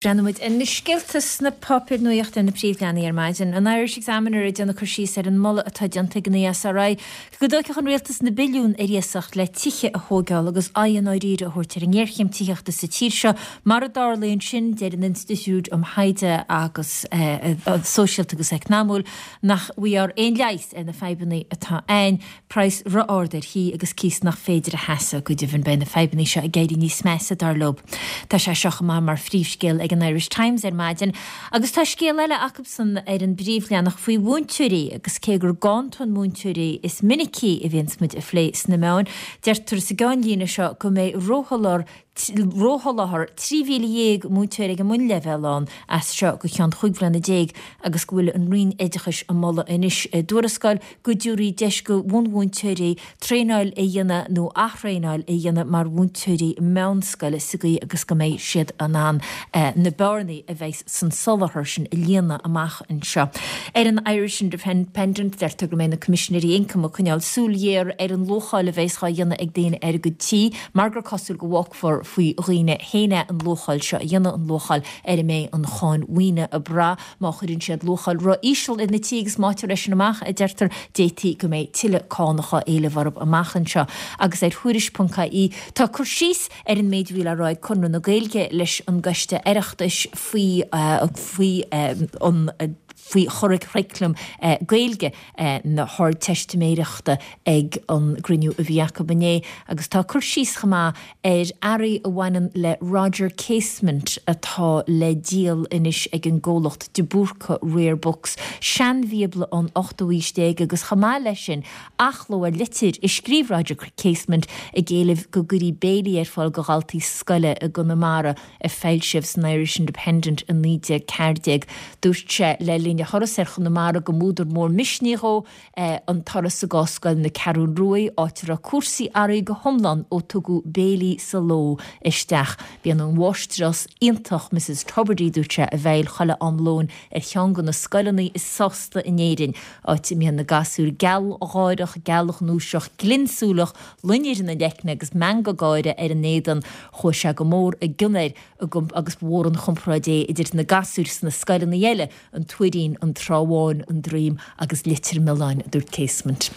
Breathnóidh muid ar na scéalta sna páipéir nuachta ar na príomhleathanaigh ar maidin. An Irish Examiner ag déanamh cur síos ar an moladh atá déanta ag an ESRI go dtógfadh an rialtas na billiúin ar iasacht le tithe a thóigeáil agus aghaidh i ndáiríre a thabhairt ar an ngéarchéim tithíochta sa tír seo. Mara dtarlaíonn sin, deir an Institiúid um Thaighde agus Sóisialta agus Eacnamúil nach bhfaighfear aon leigheas ar na fadhbanna atá ann. Praghas ro-ard ar thithe agus cíos nach féidir a sheasamh. Go deimhin beidh na fadhbanna seo ag éirí níos measa, dar leo. Tá sé seo chomh maith mar phríomhscéal ag an Irish Times ar maidin. Agus tá scéal eile acubsan ar an bpríomhleathanach faoi mhúinteoirí agus cé gur ganntan múinteoirí is minicí a bhíonns muid a phlé sna meáin, deirtear sa gceannlíne seo go mbeidh rósholáthar rósholáthar 13,000 múinteoir ag an mbunleibhéal ann as seo go ceann 15 bhliana agus go bhfuil an Roinn Oideachais ag moladh anois i dtuarascáil go dtabharfaí deis go bhunmhúinteoirí traenáil a dhéanamh nó aththraenáil a dhéanamh mar mhúinteoirí meánscoile sa gcaoi agus go mbeidh siad in ann na bearnaí a bheidh san soláthar sin a líonadh amach anseo. Ar an Irish Independent deirtear go mbeidh na Coimisinéirí Ioncaim ag coinneáil súil ghéar ar an luacháil a bheas dhá dhéanamh ag daoine ar a gcuid tí Mar gur cosúil go bhfágfar faoi dhaoine féin é an luacháil seo a dhéanamh, an luacháil ar a mbeidh an cháin mhaoine ag brath, má chuireann siad luacháil ro-íseal ar na tithe agus má fhaightear é sin amach, a deirtear, d'fhéadfaí go mbeidh tuilleadh cánach á éileamh orthu amach anseo. Agus ar Tuairisc.ie tá cur síos ar an méid a bhí le rá ag Conradh na Gaeilge leis an gCoiste Oireachtais faoi faoi an faoi churaclam Gaeilge na hArdteistiméireachta ag an gcruinniú a bhí acu inné agus tá cur síos chomh maith ar earraí a bhaineann le Roger Casement atá le díol anois ag an gcomhlacht De Búrca Rare Books, seanbhíobla ón ochtú aois déag agus chomh maith leis sin athchló ar litir a scríobh Roger Casement ag éileamh go gcuirí béilí ar fáil go dhaltaí scoile i gConamara. a foilsíodh san Irish Independent i 1914. Dúirt sé le linn a thuras ar Chonamara go mb'údar mór misnigh dhó an turas i gcás scoil na Ceathrún Ruaidh, áit a raibh cúrsaí athraithe go hiomlán ó tugadh béilí sa ló isteach. Bíonn an mháistreás iontach Mrs Tubridy, dúirt sé, i bhfeighil chuile am lóin ar cheann de na scoileanna is sásta in Éirinn, áit a mbíonn na gasúir gealgháireach, gealghnúiseach, glinnsúileach, loinnir ina leicne agus meangadh gáire ar a n-éadan. Chuaigh sé go mór i gcion air agus ba mhór an chomparáid é idir na gasúir sna scoileanna eile, an Tuairín, an Trá Bháin, an Droim agus Leitir Mealláin, a dúirt Casement.